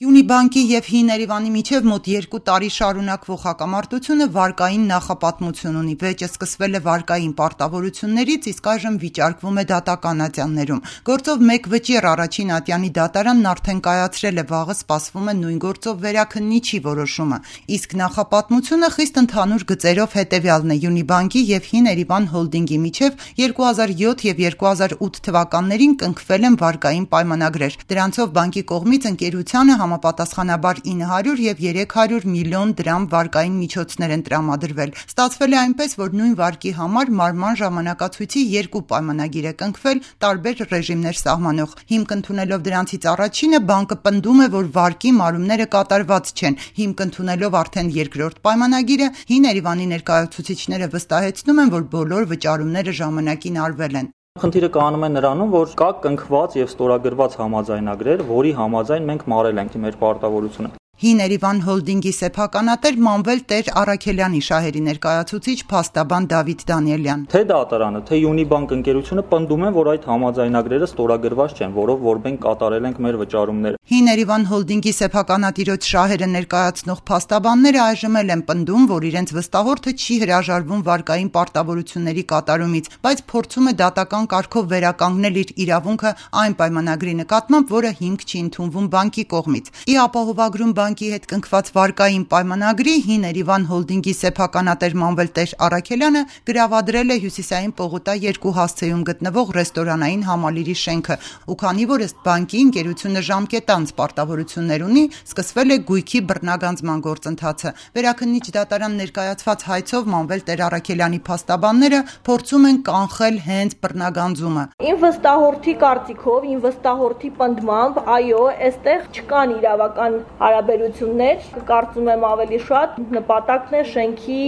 Յունիբանկի և Հին Երևանի միջև մոտ 2 տարի շարունակվող հակամարտությունը վարկային նախապատմություն ունի։ Վեճը սկսվել է վարկային պարտավորություններից, իսկ այժմ վիճարկվում է դատական ատյաններում։ Գործով 1 վճիռ առաջին ատյանի դատարանն արդեն կայացրել է, վաղը սպասվում է նույն գործով վերաքննիչի որոշումը։ Իսկ նախապատմությունը խիստ ընդհանուր գծերով հետևյալն է. Յունիբանկի և Հին Երևան հոլդինգի միջև 2007 և 2008 թվականներին կնքվել են վարկային պայմանագրեր։ Դրանցով բանկի կողմից ընկերությանը համապատասխանաբար 900 և 300 միլիոն դրամ վարկային միջոցներ են տրամադրվել։ Ստացվել է այնպես, որ նույն վարկի համար մարման ժամանակացույցի 2 պայմանագիր է կնքվել, տարբեր ռեժիմներ սահմանող։ Հիմք ընդունելով դրանցից առաջինը, բանկը պնդում է, որ վարկի մարումները կատարված չեն։ Հիմք ընդունելով արդեն երկրորդ պայմանագիրը, Հին Երևանի ներկայացուցիչները վստահեցնում են, որ բոլոր վճարումները ժամանակին արվել են։ Խնդիրը կանում է նրանում, որ կա կնքված և ստորագրված համաձայնագրեր, որի համաձայն մենք մարել ենք մեր պարտավորությունը։ Հին Երևան հոլդինգի սեփականատեր Մանվել Տեր-Առաքելյանի շահերի ներկայացուցիչ փաստաբան Դավիթ Դանիելյան. Թե դատարանը, թե Յունիբանկ ընկերությունը պնդում են, որ այդ համաձայնագրերը ստորագրված չեն, որով որ մենք կատարել ենք մեր վճարումները։ Հին Երևան հոլդինգի սեփականատիրոջ շահերը ներկայացնող փաստաբանները այժմ էլ են պնդում, որ իրենց վստահորդը չի հրաժարվում վարկային պարտավորությունների կատարումից, բայց փորձում է դատական կարգով վերականգնել իր իրավունքը այն պայմանագրի նկատմամբ, որը հիմք չի ընդունվում բանկի կողմից։ Ի ապահովագրում բանկի հետ կնքված վարկային պայմանագրի Հին Երևան հոլդինգի սեփականատեր Մանվել Տեր-Առաքելյանը գրավադրել է Հյուսիսային պողոտա 2 հասցեում գտնվող ռեստորանային համալիրի շենքը, ու քանի որ ըստ բանկի ընկերությունը ժամկետանց պարտավորություններ ունի, սկսվել է գույքի բռնագանձման գործընթացը։ Վերաքննիչ դատարան ներկայացված հայցով Մանվել Տեր-Առաքելյանի փաստաբանները փորձում են կանխել հենց բռնագանձումը։ Իմ վստահորդի կարծիքով, իմ վստահորդի պնդմամբ, այո, այստեղ չկան իրավական հարաբերություններ, կարծում եմ ավելի շատ նպատակն է շենքի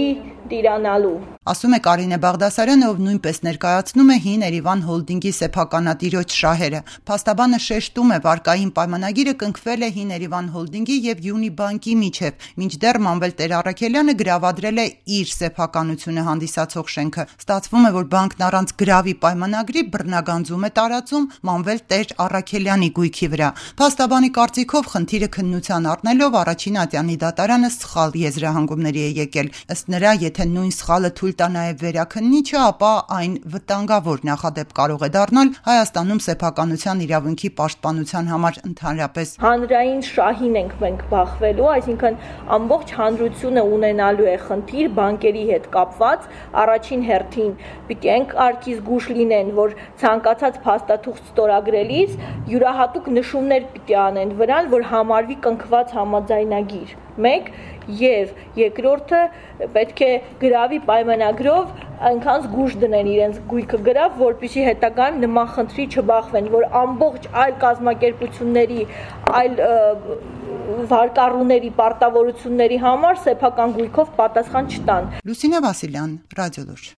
տիրանալու։ Ասում է Կարինե Բաղդասարյանը, ով նույնպես ներկայացնում է Հին Երևան հոլդինգի սեփականատիրոջ շահերը։ Փաստաբանը շեշտում է, վարկային պայմանագիրը կնքվել է Հին Երևան հոլդինգի և Յունիբանկի միջև, մինչդեռ Մանվել Տեր-Առաքելյանը գրավադրել է իր սեփականությունը հանդիսացող շենքը։ Ստացվում է, որ բանկն առանց գրավի պայմանագրի բռնագանձում է տարածում Մանվել Տեր-Առաքելյանի գույքի վրա։ Փաստաբանի կարծիքով խնդիրը քննության առնելով առաջին ատյանի դատարանը սխալ եզրահանգումների է եկել։ Ըստ նրա, եթե նույն սխալը թույլ տա նաև վերաքննիչը, ապա այն վտանգավոր նախադեպ կարող է դառնալ Հայաստանում սեփականության իրավունքի պաշտպանության համար ընդհանրապես։ Հանրային շահին ենք մենք բախվելու, այսինքն ամբողջ հանրությունը ունենալու է խնդիր բանկերի հետ կապված, առաջին հերթին պիտի արկի զգուշ լինեն, որ ցանկացած փաստաթուղթ ստորագրելիս յուրահատուկ նշումներ պիտի անեն վրան, որ համարվի կնքված համաձայնագիր։ 1 եւ երկրորդը պետք է գրավի պայմանագրով այնքան զգուշ դնեն իրենց գույքը գրավ, որպեսզի հետագան նման խնդրի չբախվեն, որ ամբողջ այլ կազմակերպությունների, այլ վարկառուների պարտավորությունների համար սեփական գույքով պատասխան չտան։ Լուսինե Վասիլյան, Ռադիոլուր։